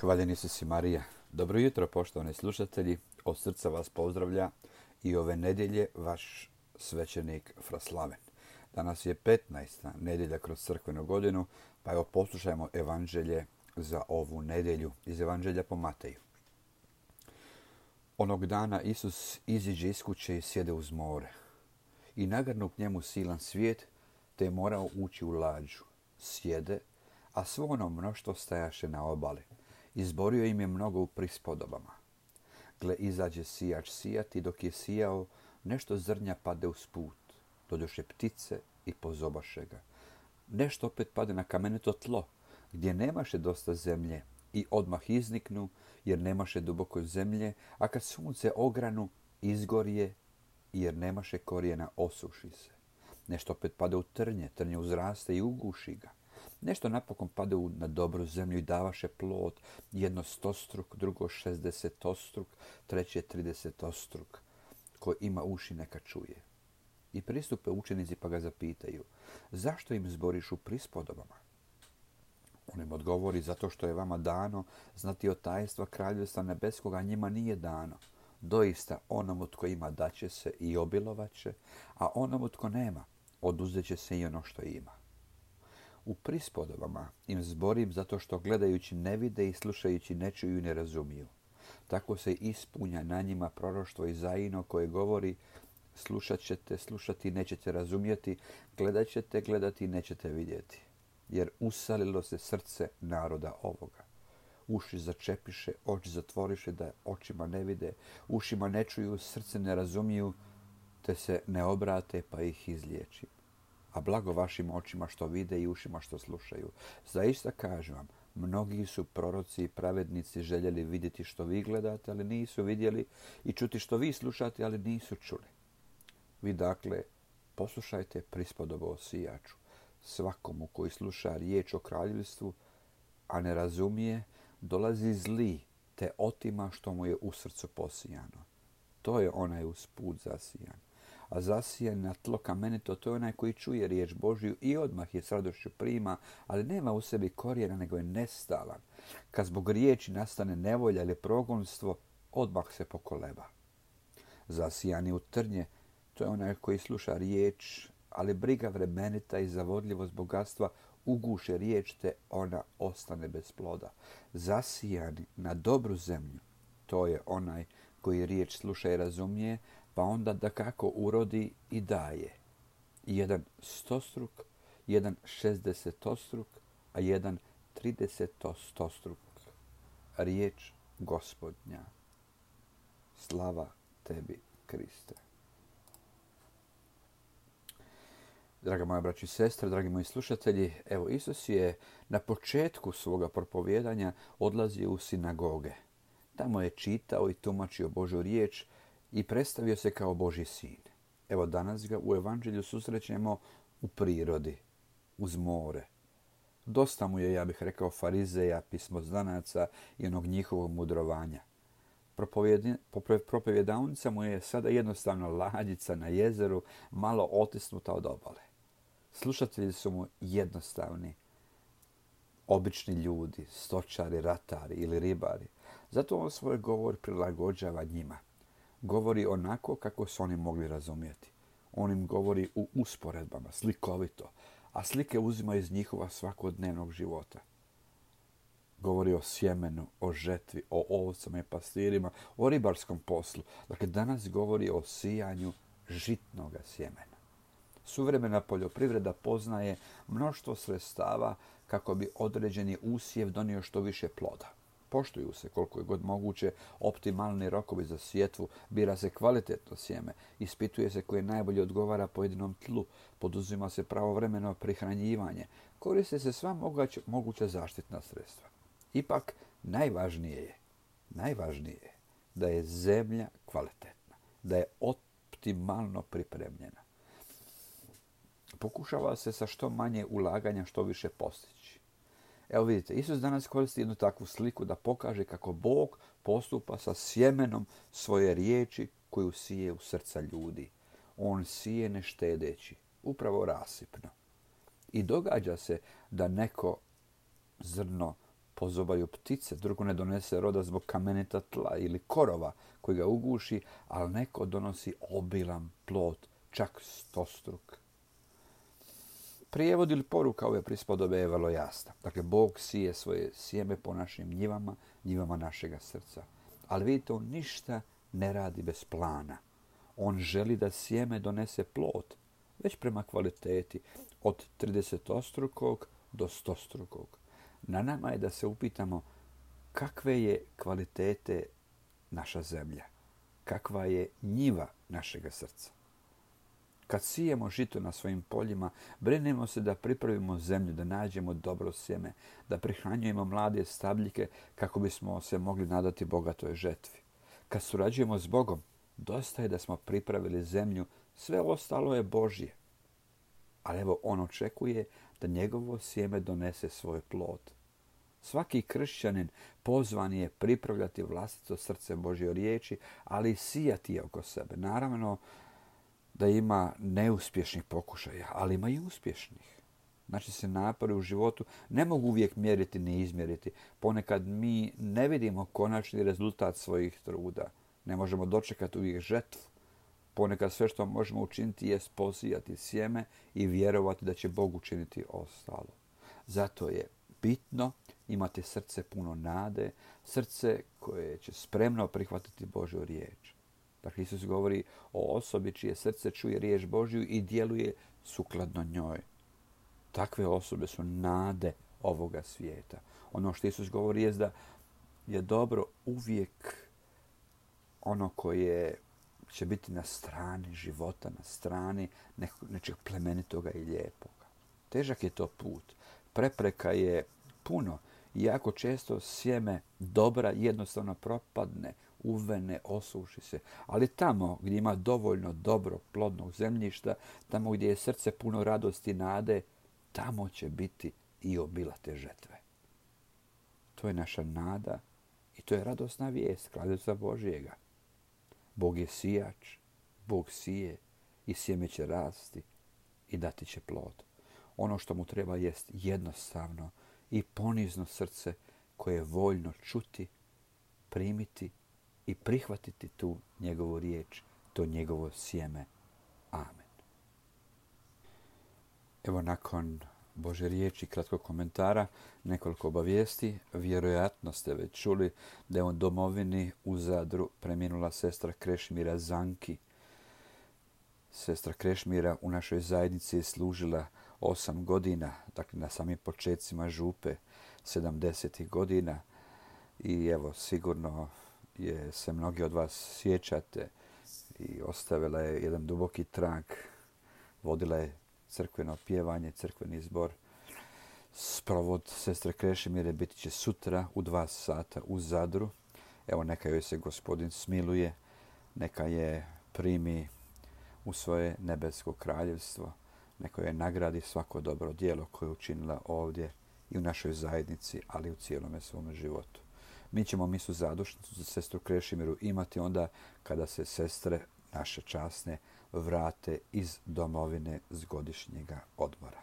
Hvaljen Isus i Marija. Dobro jutro, poštovani slušatelji. Od srca vas pozdravlja i ove nedjelje vaš svećenik Fra Slaven. Danas je 15. nedjelja kroz crkvenu godinu, pa evo poslušajmo evanđelje za ovu nedjelju iz Evanđelja po Mateju. Onog dana Isus iziđe iz kuće i sjede uz more. I nagrnu k njemu silan svijet, te je morao ući u lađu. Sjede, a svo ono mnoštvo stajaše na obali. Izborio im je mnogo u prispodobama. Gle, izađe sijač sijati, dok je sijao, nešto zrnja pade uz put. Dođoše ptice i pozobaše ga. Nešto opet pade na kamenito tlo, gdje nemaše dosta zemlje, i odmah izniknu, jer nemaše duboko zemlje, a kad sunce ogranu, izgorje, jer nemaše korijena, osuši se. Nešto opet pade u trnje, trnje uzraste i uguši ga. Nešto napokon pade na dobru zemlju i davaše plod, jedno 100-struk, drugo 60-struk, treće 30-struk. Ko ima uši neka čuje. I pristupe učenici pa ga zapitaju, zašto im zboriš u prispodobama? On im odgovori, zato što je vama dano znati od tajstva kraljevstva nebeskoga, njima nije dano. Doista onomu tko ima daće se i obilovaće, a onomu tko nema oduzet će se i ono što ima. U prispodobama im zborim zato što gledajući ne vide i slušajući ne čuju i ne razumiju. Tako se ispunja na njima proroštvo Izaijino koje govori, slušat ćete slušati i nećete razumjeti, gledat ćete gledati i nećete vidjeti. Jer usalilo se srce naroda ovoga. Uši začepiše, oči zatvoriše da očima ne vide, ušima ne čuju, srce ne razumiju, te se ne obrate pa ih izliječim. A blago vašim očima što vide i ušima što slušaju. Zaista kažem vam, mnogi su proroci i pravednici željeli vidjeti što vi gledate, ali nisu vidjeli, i čuti što vi slušate, ali nisu čuli. Vi dakle poslušajte prispodobu o sijaču. Svakomu koji sluša riječ o kraljevstvu, a ne razumije, dolazi zli, te otima što mu je u srcu posijano. To je onaj uz put zasijan. A zasijan na tlo kamenito, to je onaj koji čuje riječ Božju i odmah je s radošću prima, ali nema u sebi korijena, nego je nestalan. Kad zbog riječi nastane nevolja ili progonstvo, odmah se pokoleba. Zasijani u trnje, to je onaj koji sluša riječ, ali briga vremenita i zavodljivost bogatstva uguše riječ, te ona ostane bez ploda. Zasijani na dobru zemlju, to je onaj koji riječ sluša i razumije, pa onda dakako urodi i daje. Jedan 100-struk, jedan 60-struk, a jedan 30-struk. Riječ Gospodnja. Slava tebi, Kriste. Draga moja braća i sestre, dragi moji slušatelji, evo Isus je na početku svoga propovijedanja odlazio u sinagoge. Tamo je čitao i tumačio Božju riječ i predstavio se kao Božji sin. Evo danas ga u evanđelju susrećemo u prirodi, uz more. Dosta mu je, ja bih rekao, farizeja, pismoznanaca i onog njihovog mudrovanja. Propovjedavnica mu je sada jednostavno lađica na jezeru, malo otisnuta od obale. Slušatelji su mu jednostavni, obični ljudi, stočari, ratari ili ribari. Zato on svoj govor prilagođava njima. Govori onako kako su oni mogli razumjeti. On im govori u usporedbama, slikovito, a slike uzima iz njihova svakodnevnog života. Govori o sjemenu, o žetvi, o ovcama i pastirima, o ribarskom poslu. Dakle, danas govori o sijanju žitnoga sjemena. Suvremena poljoprivreda poznaje mnoštvo sredstava kako bi određeni usjev donio što više ploda. Poštuju se koliko je god moguće optimalni rokovi za sjetvu, bira se kvalitetno sjeme, ispituje se koje najbolje odgovara pojedinom tlu, poduzima se pravovremeno prihranjivanje, koriste se sva moguća zaštitna sredstva. Ipak najvažnije je da je zemlja kvalitetna, da je optimalno pripremljena. Pokušava se sa što manje ulaganja što više postići. Evo vidite, Isus danas koristi jednu takvu sliku da pokaže kako Bog postupa sa sjemenom svoje riječi koju sije u srca ljudi. On sije ne štedeći, upravo rasipno. I događa se da neko zrno pozobaju ptice, drugo ne donese roda zbog kamenita tla ili korova koji ga uguši, ali neko donosi obilan plod, čak stostruk. Prijevod ili poruka ove prispodobe je vrlo jasna. Dakle, Bog sije svoje sjeme po našim njivama, njivama našega srca. Ali vidite, on ništa ne radi bez plana. On želi da sjeme donese plod, već prema kvaliteti, od 30-strukog do 100-strukog. Na nama je da se upitamo kakve je kvalitete naša zemlja, kakva je njiva našega srca. Kad sijemo žito na svojim poljima, brinemo se da pripravimo zemlju, da nađemo dobro sjeme, da prihranjujemo mlade stabljike kako bismo se mogli nadati bogatoj žetvi. Kad surađujemo s Bogom, dosta je da smo pripravili zemlju, sve ostalo je Božje. Ali evo, on očekuje da njegovo sjeme donese svoj plod. Svaki kršćanin pozvan je pripravljati vlastito srce Božje riječi, ali i sijati je oko sebe. Naravno da ima neuspješnih pokušaja, ali ima i uspješnih. Naši se napori u životu ne mogu uvijek mjeriti ni izmjeriti. Ponekad mi ne vidimo konačni rezultat svojih truda. Ne možemo dočekati uvijek žetvu. Ponekad sve što možemo učiniti je posijati sjeme i vjerovati da će Bog učiniti ostalo. Zato je bitno imati srce puno nade, srce koje će spremno prihvatiti Božju riječ. Dakle, Isus govori o osobi čije srce čuje riječ Božju i djeluje sukladno njoj. Takve osobe su nade ovoga svijeta. Ono što Isus govori je da je dobro uvijek ono koje će biti na strani života, na strani nečeg plemenitoga i lijepoga. Težak je to put. Prepreka je puno. Jako često sjeme dobra jednostavno propadne, uvene, osuši se. Ali tamo gdje ima dovoljno dobro plodnog zemljišta, tamo gdje je srce puno radosti i nade, tamo će biti i obilate žetve. To je naša nada i to je radosna vijest, Kraljevstva Božjega. Bog je sijač, Bog sije i sjeme će rasti i dati će plod. Ono što mu treba jest jednostavno i ponizno srce koje je voljno čuti, primiti i prihvatiti tu njegovu riječ, to njegovo sjeme. Amen. Evo, nakon Božje riječi, kratkog komentara, nekoliko obavijesti. Vjerojatno ste već čuli da je u domovini u Zadru preminula sestra Krešimira Zanki. Sestra Krešimira u našoj zajednici je služila 8 godina, dakle na samim početcima župe 70. godina. I evo, sigurno se mnogi od vas sjećate i ostavila je jedan duboki trag. Vodila je crkveno pjevanje, crkveni zbor. Sprovod sestre Krešimire biti će sutra u 2 sata u Zadru. Evo, neka joj se Gospodin smiluje, neka je primi u svoje nebesko kraljevstvo, neka joj nagradi svako dobro djelo koje je učinila ovdje i u našoj zajednici, ali i u cijelome svome životu. Mi ćemo misu zadušnicu za sestru Krešimiru imati onda kada se sestre naše časne vrate iz domovine s godišnjega odmora.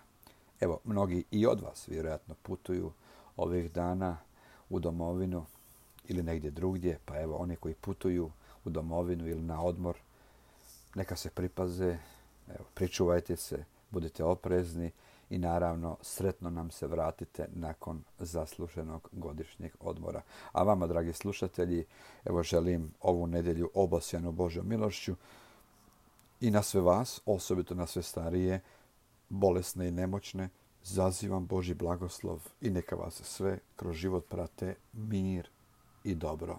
Evo, mnogi i od vas vjerojatno putuju ovih dana u domovinu ili negdje drugdje, pa evo, oni koji putuju u domovinu ili na odmor, neka se pripaze, evo, pričuvajte se, budite oprezni i naravno sretno nam se vratite nakon zasluženog godišnjeg odmora. A vama, dragi slušatelji, evo, želim ovu nedjelju obasjanu Božjom milošću i na sve vas, osobito na sve starije, bolesne i nemoćne, zazivam Božji blagoslov i neka vas sve kroz život prate mir i dobro.